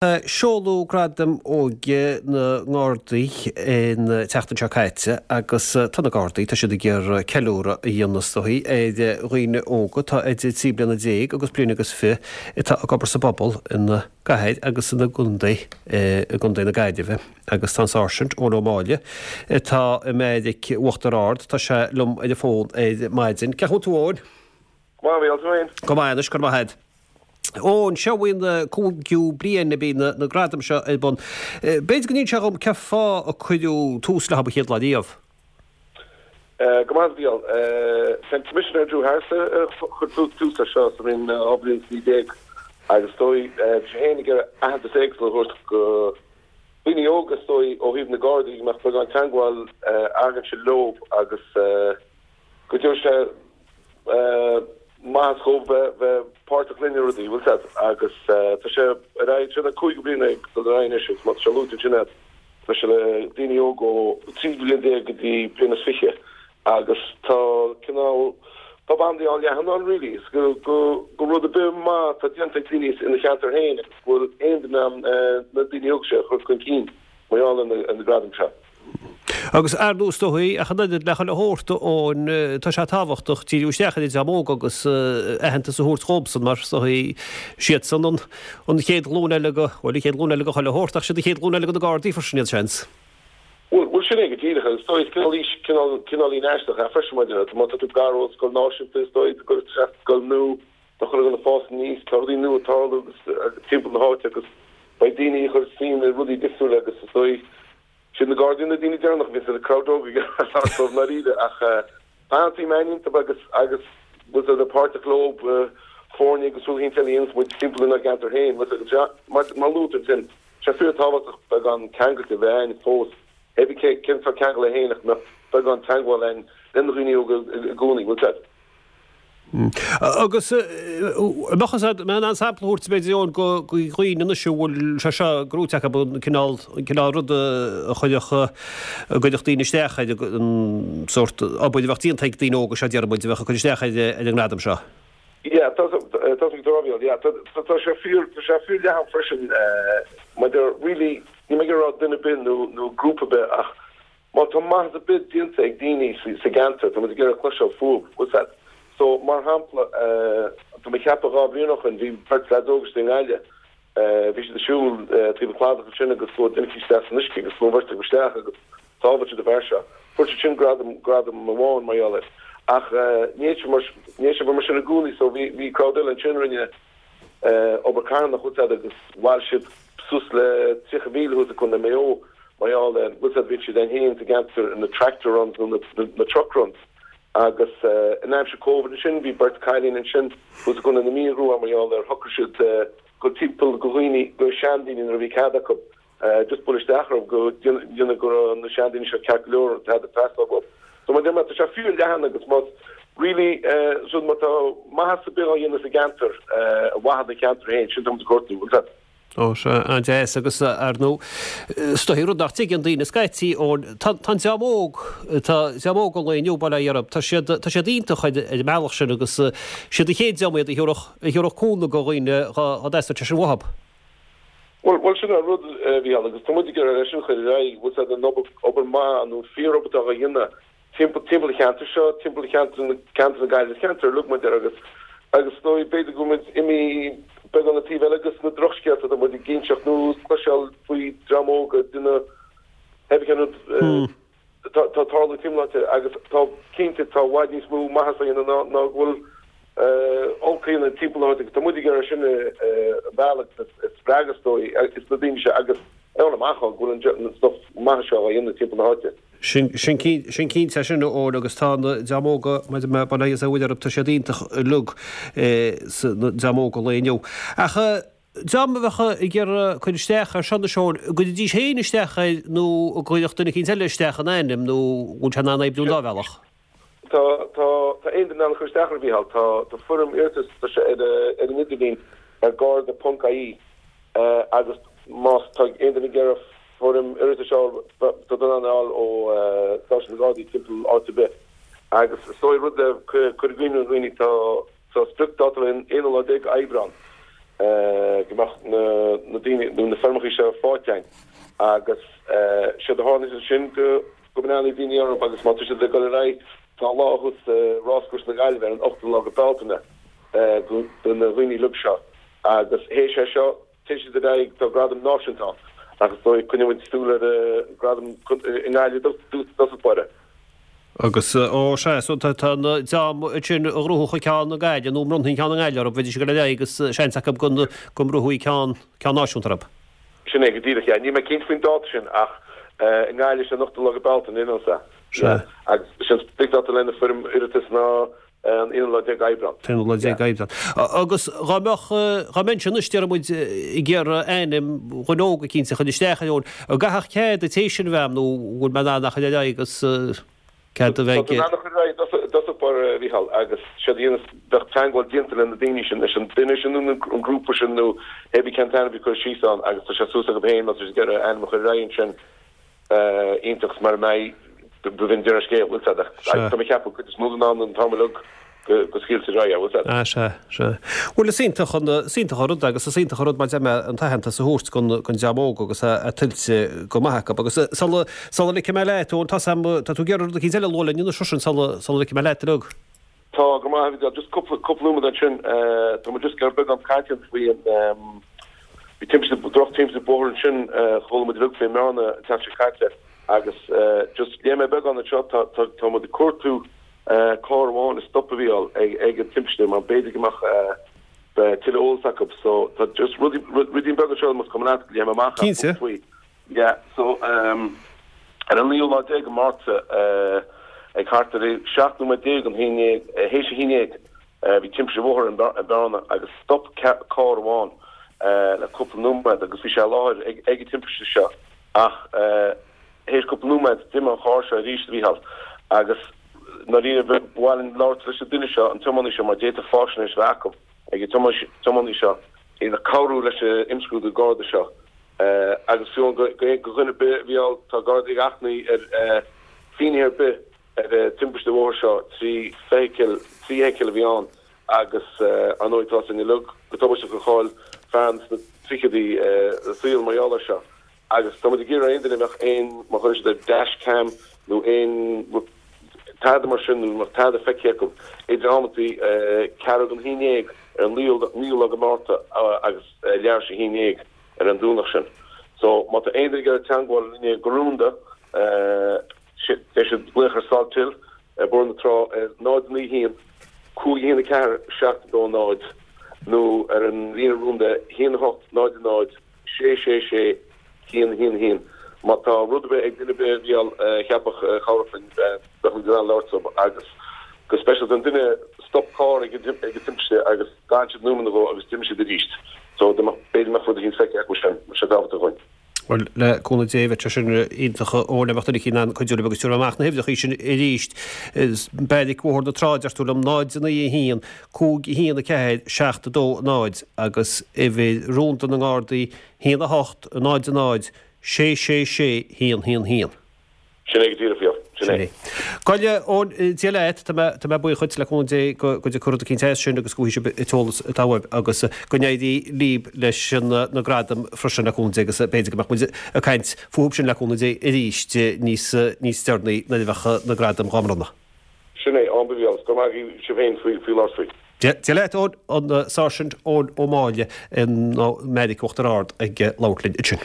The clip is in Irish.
Seoladh Gradaim Óige na nGardaí an tseachtain seo caite agus tá na Gardaí, tá siad ag iarraidh ceiliúradh a dhéanamh is dóigh ar dhaoine óga atá idir 13 bliana agus bliain agus fi atá ag obair sa bpobal ina gcathair agus ina gcontae, i gContae na Gaillimhe. Agus tá an Sáirsint Eoin Ó Máille atá i mBeairic Uachtar Ard, tá sé liom ar an bhfón ar maidin. Cén chaoi a bhfuil tú a Eoin? Go maith, a Mhícheáil, tú féin? Go maith anois, go raibh maith agat. Eoin, seo í an cúigiú bliain a bhí na gradaim seo ar bun. B'fhéidir go n-inseofá dhom cén fáth a cuireadh tús leo an chéad lá riamh? Go maith, a Mhícheáil. Sé an Commissioner Drew Harris a chuir tús leis seo sa bhliain 2019 agus is dóigh bhí sé féin ag iarraidh aitheantas éagsúil a thabhairt go daoine óga is dóigh ó thaobh na Gardaí go mbeadh beagán teagmháil againse leo agus go dtabharfadh sé maitheas dhóibh bheith páirteach linn i rudaí, bhfuil 's a'd, agus tá sé ar aghaidh, seo an cúigiú bliain ag dul ar aghaidh anois agus má tá sé luaite ansin a'd, tá sé le daoine óga ó 13 bliain go dtí bliain is fiche agus tá cineál, tá bandaí an-leathan ann really, is go, go, go rud ar bith maith atá déanta ag daoine ina cheantar féin agus go bhfuil aon duine in ann na daoine óga seo a chur chun cinn mar gheall ar na gradaim seo. Agus ar ndóigh is dóigh, ach an oiread le chuile shórt, Eoin, tá sé tábhachtach díriú isteach ar an dream óg agus aitheantas a thabhairt dhóibhsan mar is dóigh siadsan an an chéad ghlúin eile go, bhuel an chéad ghlúin eile go chuile shórt ach siad an chéad ghlúin eile go na Gardaí freisin iad, seans. Bhuel, bhuel sin é go díreach agus is dóigh is cineál aois, cineál, cineáilín aisteach é freisin mar má tá tú gar ó scoil náisiúnta is dóigh go gcuirfear isteach sa scoil nua, tá chuile dhuine ag fás aníos, tá rudaí nua ag tarlú agus timpeall na háite agus beidh daoine ag cur suim i rudaí difriúla agus is dóigh Siad na Gardaí na daoine deireanacha a bhíonns an crowd óg ag labhairt dóibh i ndáiríre ach tá an-suim againn iontu agus agus bhfuil 's a'd páirteach leo foirne agus rudaí eile a dhéanas muid timpeall inár gceantar féin bhfuil 's a'd mar mar luaigh tú ansin tá sé fíor tábhachtach beagán ceangailte a bheith againn fós hé bí cé cén sórt ceangal é féin ach go mbeadh beagán teagmháil againn le na dhaoine óga i gcónaí bhfuil 's a'd. Agus an mbeadh fhios a'd, an mbeifeá in ann sampla a thabhairt b'fhéidir Eoin go dhaoine anois a bhfuil sé seo gnóite acu an cineál, an cineál rud a chuirfeadh, a gcuirfeadh daoine isteach ar an sórt obair a bheadh déanta ag daoine óga seo déarfaidh muid a bheadh ag cur isteach ar an ngradam seo. Yeah, tá tá tá yeah, tá tá sé fíor tá sé fíor leathan freisin maidir really ní mé ag rá duine ar bith nó nó grúpa ar bith ach Má tá maitheas ar bith déanta ag daoine sa gceantar, tá muid ag iarraidh cloisteáil fúthu, bhfuil 's a'd. So, mar shampla, tá mé ag ceapadh 2 bhliain ó shoin, bhí beirt leaids óga istigh i nGaillimh, bhí siad ag siúl taobh an chladach ansin agus chuaigh duine eicínt isteach san uisce agus chuaigh an bheirt acu isteach agus shábháil siad an fear seo. Fuair siad sin gradam, gradam amháin mar gheall air. Ach ní fhéadfadh sé mar, ní fhéadfadh sé bheith mar sin i gcónaí so bhí, bhí crowd eile ansin a rinne obair carthanach, bhfuil 's a'd, agus bhailigh siad suas le 30,000 thuas i gContae Mhaigh Eo mar gheall ar, bhfuil 's a'd, bhíonn siad ann féin sa gceantar na tractor runs nó na truck runs agus in aimsir Covid ansin bhí beirt cailín ansin thuas i gContae na Mí a ghnóthaigh mar gheall ar shocraigh siad dul timpeall go dhaoine, go seandaoine nuair a bhí cead acu just bualadh isteach orthu go déanamh go raibh na seandaoine seo ceart go leor tada ag teastáil uathu. So mar a deir mé tá sé fíor leathan agus más really so má tá maitheas ar bith á dhéanamh sa gceantar ar mhaithe don cheantar féin sin tá muid ag cuartú, bhfuil 's a'd. Ó sea, an-deas agus ar ndóigh is dóigh rud nach dtuigeann daoine scaití Eoin, tá an dream óg, tá dream óg an lae inniu, bail ó Dhia orthu, tá siad, tá siad iontach ar an mbealach sin agus siad an chéad dream iad a thabharfadh, a thabharfadh cúnamh do dhaoine dá dteastódh sé sin uathu. Bhuel, bhuel sin an rud, a Mhícheáil, agus tá muid ag iarraidh é sin a chur ar aghaidh, bhfuil 's a'd an obair, obair maith nó fíor-obair atá á dhéanamh timpeall, timpeall an cheantair seo, timpeall cheantar na, ceantar na Gaillimhe, ceantar uilig muid air agus, agus is dóigh, b'fhéidir go bhfuil muid imithe beagán an taobh eile agus na drochscéalta atá muid ag inseacht nó ag cloisteáil faoi dream óg ag déanamh pé cén rud atá ag tarlú timpeall na háite agus tá, cinnte, tá i bhfad níos mó maitheas á dhéanamh ná, ná go bhfuil olc á dhéanamh timpeall na háite agus tá muid ag iarraidh sin a mhealladh agus a spreagadh is dóigh is na daoine seo agus a fháil amach go bhfuil an stuff maith seo á dhéanamh timpeall na háite. Sin cinnte é sin, a Eoin, agus tá na dream óga, maidir le bail ó Dhia orthu, tá siad iontach uilig, na dream óg an lae inniu. Ach dream a bheadh ag iarraidh cur isteach air seo anois, Eoin, an gcuirfidís féin isteach air nó an gcuirfeadh duine eicínt eile isteach ina ainm nó an bhfuil sé in ann oibriú an dá bhealach? Tá, tá, tá aon duine in ann cur isteach air, a Mhícheáil. Tá, tá foirm iarratais, tá sé ar, ar an idirlíon ar garda.ie agus más tá aon duine ag iarraidh Foirm iarratais a fháil, tá tú in ann é a fháil ó stáisiún na Gardaí timpeall áit ar bith. Agus is dóigh rud le cur i gcuimhne ar dhaoine, tá tá spriocdháta an aonú lá déag Aibreán. go mbeadh na daoine nó na foirmeacha seo faighte againn agus séard a tharlaíonn ansin go go mbreathnaíonn daoine orthu agus má tá siad ag dul ar aghaidh tá lá thuas i Ráschúrsa na Gaillimhe ar an ochtú lá go Bealtaine do na daoine uilig seo agus théis é seo téann siad ar aghaidh tá gradam náisiúnta ann ach is dóigh coinneoidh muid súil ar gradam i nGaillimh i dtosach báire. Agus, ó, sea, so tá an dream ansin a ghnóthódh an ceann i nGaillimh, nó a mbronnfaí an ceann i nGaillimh orthu, bheidís ag dul ar aghaidh agus seans acu go mbronnfaí ceann, ceann náisiúnta orthu. Sin é go díreach, yeah. Níl mé cinnte faoin dáta sin ach i nGaillimh sé an ochtú lá go Bealtaine, you know, sea. Sea. Agus sin spriocdháta lena foirm iarratais ná an aonú lá déag Aibreán. T-aonú lá déag Aibreán. Agus dá mbeadh, dá mbeinnse anois, déarfaidh muid, ag iarraidh ainm dhuine óg eicínt a chur isteach ar eoin, an gcaithfeadh cead an té sin a bheith a'm nó bhfuil mé in ann a chur ar aghaidh agus cead a bheith Tá tú in ann a chur ar aghaidh i dtosach báire, a Mhícheáil, agus séard a dhéanas, bheadh teagmháil déanta le na daoine sin, leis an duine sin nó an grúpa sin nó hé bith cén t-ainm a bhí curtha síos ann agus tá sé suas acu féin má tá siad ag iarraidh ainm a chur ar aghaidh ansin. iontach mar a mbeidh b'in deireadh an scéil, bhfuil 's a'd, ach tá mé ag ceapadh cuid is mó den am an t-am uilig go scaoiltear ar aghaidh é, bhfuil 's a'd. Ah sea, sea. Bhuel is iontach an, is iontach an rud agus is iontach an rud mar deir mé an t-aitheantas a thabhairt don, don dream óg agus é tuillte go maith acu. Agus sula, sula ligfidh mé leat, Eoin, tá 's a'm, tá tú ag iarraidh rud eicínt eile a lua linn anois freisin sula, sula ligfidh mé leat uilig. Tá, go maith, a Mhícheáil, just cúpla, cúpla nóiméad ansin, tá muid just ag iarraidh beagán cainte faoi an, bhí timpiste, droch timpiste bóthair ansin, chuala muid uilig faoi i mBearna an tseachtain seo caite agus just léigh mé beagán anseo, tá, tá, tá muid ag cuartú carr amháin a stop a Mhícheáil ag, ag an timpiste mar b'fhéidir go mbeadh tuilleadh eolas acu so tá just rudaí, ruidín beag anseo más cuma leat go léifidh mé amach Cinnte. faoi. Yeah, so ar an naoú lá déag de Mhárta ag thart ar 17 nóiméad don haon dhéag, théis a haon dhéag, bhí timpiste bhóthair i mBearna agus stop carr amháin le cúpla nóiméad agus bhí sé i láthair ag an timpiste seo ach théis cúpla nóiméad d'imigh an carr seo arís a Mhícheáil agus ndáiríre ba mhaith linn labhairt leis an duine seo, an tiománaí seo mar d'fhéadfadh faisnéis a bheith acu ag an tiománaí seo ag cabhrú leis an imscrúdú Garda seo. Agus fiú do dhuine ar bith, a Mhícheáil, tá Gardaí ag achainí ar finnéithe ar bith ar an timpiste bhóthair seo, 3 feithicil, 3 fheithicil a bhí ann agus ar ndóigh tá 's againn uilig go tubaisteach gur chaill fear sna tríochaidí a saol mar gheall air seo. Agus tá muid ag iarraidh aon duine a mbeadh aon, má chuireann siad ar dash cam nó aon tada mar sin nó má tada feicthe acu idir amantaí ceathrú don haon dhéag ar an naoú lá de Mhárta agus leathuair tar éis a haon dhéag. ar an Domhnach sin. So, má tá aon duine ag iarraidh teagmháil linne go rúnda, beidh siad glaoch ar Salthill ar Bhóthar na Trá ar 0 9 1 5 1 4 7 2 0 nó ar an líne rúnda 1 8 0 0 6 6 6 1 1 1. Má tá rud ar bith ag duine ar bith a Mhícheáil a cheapfadh a chabhródh linn, bheadh muid in ann labhairt leo agus go speisialta an duine stop carr ag an timpiste agus D'fhan siad nóiméad nó dhó agus d'imigh siad arís. So, dá mbeadh, b'fhéidir go mbeadh rud eicínt feicthe acu sin, bheadh sé tábhachtach dhúinn. Bhuel, le cúnamh Dé, bheadh sé sin iontach a Eoin, dá mbeadh duine eicínt in ann cuidiú libh agus tabharfaidh mé amach na huimhreacha sin arís. Beairic Bhóthar na Trá, deir tú liom, 0 9 1 5 1 4 7 2 0 agus uimhir rúnda na nGardaí 1 8 0 0 6 6 6 1 1 1. Sin é go díreach, Mhícheál. Sin é. Gabh i leith, Eoin, Dia leat, tá mé, tá mé buíoch dhuit, le cúnamh Dé, go, go dtiocfaidh rud eicínt as sin agus go bhfaighidh sibh an t-eolas atá uaibh agus go n-éirí libh leis an, na gradaim freisin, le cúnamh Dé, agus b'fhéidir go mbeadh muid ag caint fúthu sin, le cúnamh Dé, arís níos, níos deireanaí nuair a bheadh na gradaim dhá mbronnadh. Sin é, a Mhícheáil, go raibh maith agaibh sibh féin faoi, faoi labhairt faoi. Dia, Dia leat, Eoin, an Sáirsint Eoin Ó Máille i mBeairic Uachtar Ard ag labhairt linn ansin.